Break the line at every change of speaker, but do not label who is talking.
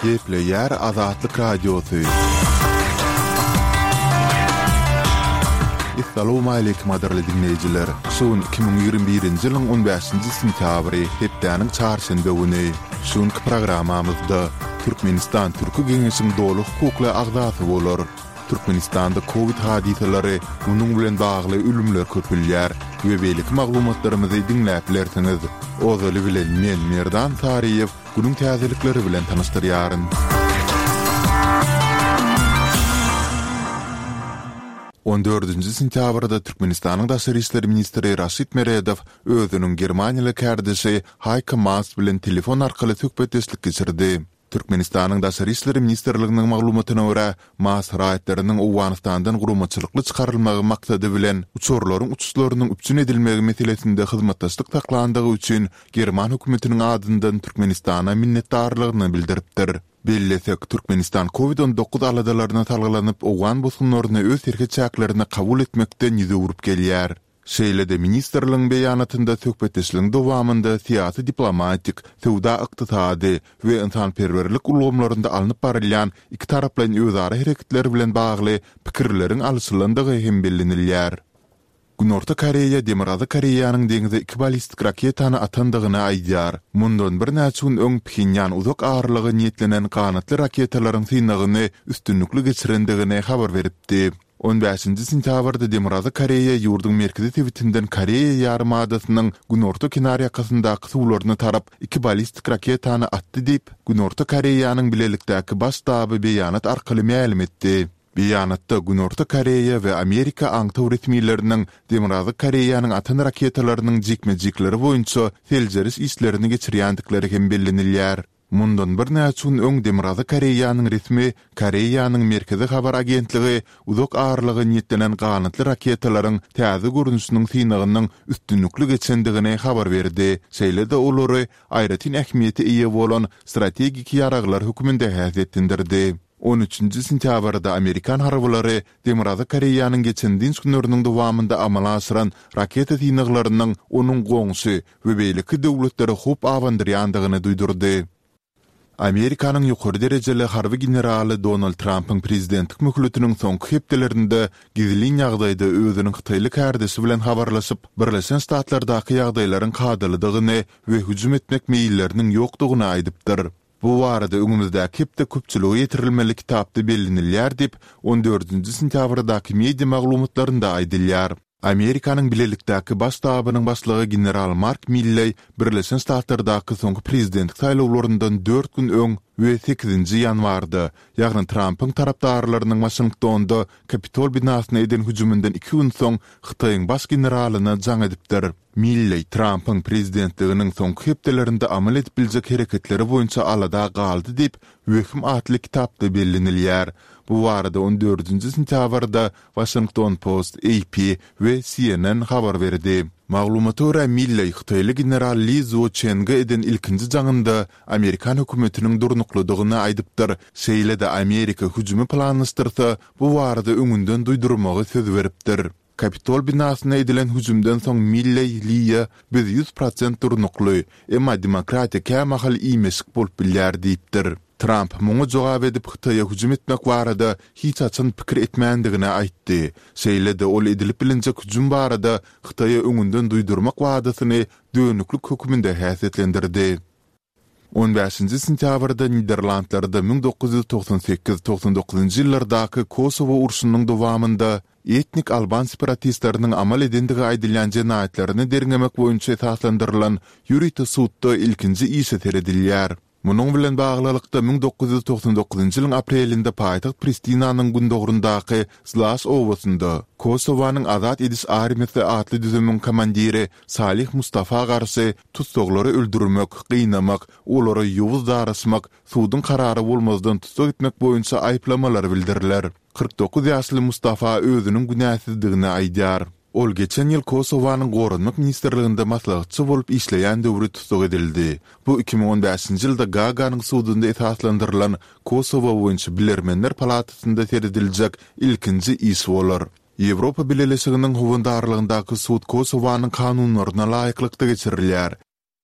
Gepleýär Azatlyk Radiosy. Essalawmaleýkim gadyrly diňleýjiler! Şu gün 2021-nji ýylyň on bäşinji sentýabry, hepdäniň çarşenbe güni. Şu günki programmamyzda Türkmenistan Türki Geňeşiň doly hukukly agzasy bolar. Türkmenistanda kowid hadysalary, munuň bilen bagly ölümler köpelýär we beýleki maglumatlarymyzy diňläp bilersiňiz. Ozaly bilen men Merdan Saryýew günüň täzelikleri bilen tanyşdyrýaryn. On dördünji sentýabrda Türkmenistanyň daşary işler ministri Raşid Meredow özüniň germaniýaly kärdeşi Haýko Maas bilen telefon arkaly söhbetdeşlik geçirdi. Türkmenistanyň Daşary işler ministrliginiň maglumatyna görä, Maas raýatlarynyň Owganystandan guramaçylykly çykarylmagy maksady bilen uçarlaryň uçuşlarynyň üpjün edilmegi meselesinde hyzmatdaşlyk saklandygy üçin german hökümetiniň adyndan Türkmenistana minnetdarlygyny bildiripdir. Bellesek, Türkmenistan Covid 19 aladalaryna salgylanyp owgan bosgunlaryny öz serhet çäklerine kabul etmekden ýüz öwrüp gelýär. Şeýle-de ministrligiň beýanatynda söhbetdeşligiň dowamynda syýasy-diplomatik, söwda-ykdysady we ynsanperwerlik ulgamlarynda alnyp barylýan ikitaraplaýyn özara hereketler bilen bagly pikirleriň alyşylandygy hem bellenilýär. Günorta Koreýa Demirgazyk Koreýanyň deňze iki ballistik raketany atandygyny aýdýar. Mundan birnäçe gün öň Phenýan uzak aralyga niýetlenen ganatly raketalaryň synagyny üstünlikli geçirendigini habar beripdi. On bäşinji sentýabrda Demirgazyk Koreýa ýurduň merkezi sebitinden Koreýa ýarymadasynyň günorta kenarýakasyndaky suwlaryna tarap iki ballistik raketany atdy diýip, Günorta Koreýanyň bilelikdäki Baş ştaby beýanat arkaly mälim etdi. Beýanatda Günorta Koreýa we Amerika aňtaw resmileriniň Demirgazyk Koreýanyň atan raketalarynyň jikme-jikleri boýunça seljeriş işlerini geçirýändikleri hem bellenilýär. Mundan birnäçe gün öň Demirgazyk Koreýanyň resmi Koreýanyň Merkezi habar agentligi uzak aralyga niýetlenen ganatly raketalaryň täze görnüşiniň synagynyň üstünlikli geçendigini habar berdi, şeýle-de olary aýratyn ähmiýete eýe bolan strategik ýaraglar hökmünde häsiýetlendirdi. On üçünji sentýabrda amerikan harbylary Demirgazyk Koreýanyň geçen dynç günleriniň dowamynda amala aşyran raketa synaglarynyň onuň goňşy we beýleki döwletlere howp abandyrýandygyny duýdurdy. Amerikanyň ýokary derejeli harby generaly Donald Trampyň prezidentlik möhletiniň soňky hepdelerinde gizlin ýagdaýda özüniň hytaýly kärdeşi bilen habarlaşyp, Birleşen Ştatlardaky ýagdaýlaryň kadalydygyny we hüjüm etmek meýilleriniň ýokdugyny aýdypdyr. Bu barada öňümizdäki hepde köpçülige ýetirilmeli kitapda bellenilýär diýip, on dördünji sentýabrdaky media maglumatlarynda aýdylýar. Amerikanyň Bilelikdäki Baş ştabynyň başlygy general Mark Milleý Birleşen Ştatlardaky soňky prezidentlik saýlawlaryndan dört gün öň we sekizinji ýanwarda, ýagny Trampyň tarapdarlarynyň Waşingtonda Kapitol binasyna eden hüjüminden iki gün soň Hytaýyň baş generalyna jaň edipdir. Milleý Trampyň prezidentliginiň soňky hepdelerinde amal edip biljek hereketleri boýunça alada galdy diýip, Wehim atly kitapda bellenilýär. Bu barada on dördünji sentýabrda Washington Post, AP we CNN habar berdi. Maglumata görä, Milleý hytaýly general Li Zuoçenge eden ilkinji jaňynda amerikan hökümetiniň durnuklydygyny aýdypdyr, şeýle-de Amerika hüjümi planlaşdyrsa, bu barada öňünden duýdurmagy söz beripdir. Kapitol binasyna edilen hüjümden soň Milleý Liýa Biz 100% durnukly, emma demokratiýa kämahal iýmeşik bolup bilýär diýipdir. Tramp muňa jogap edip Hytaýa hüjüm etmek barada hiç haçan pikir etmändigini aýtdy. Şeýle-de ol edilip bilinjek hüjüm barada Hytaýa öňünden duýdurmak wadasyny dönüklik hökmünde häsiýetlendirdi. On bäşinji sentýabrda Niderlandlarda 1998, 99-njy ýyllardaky Kosowo urşunyň dowamynda etnik alban separatistleriniň amal edendigi aýdylýan jenaýatlaryny derňemek boýunça esaslandyrylan ýörite sudda ilkinji işe seredilýär. Munuň bilen baglylykda, 1999-njy ýylyň aprelinde paýtagt Pristinanyň gündogaryndaky Zlaş obasynda Kosowanyň Azat ediş armiýasy atly düzümiň komandiri Salih Mustafa garşy Tussaglary öldürmek, gynamak, olara ýowuz daraşmak, suduň karary bolmazdan tussag etmek boýunça aýyplamalar bildiriler. 49 ýaşly Mustafa özüniň günäsizdigini aýdýar. Ol geçen ýyl Kosowanyň Goranmak ministrliginde maslahatçy bolup işleýän döwri tussag edildi. Bu 2015-nji ýylda Gaaganyň sudunda esaslandyrylan Kosowo boýunça bilermenler palatasynda serediljek ilkinji iş bolar. Ýewropa Bileleşiginiň howandarlygyndaky sud Kosowanyň kanunlaryna laýyklykda geçirilýär.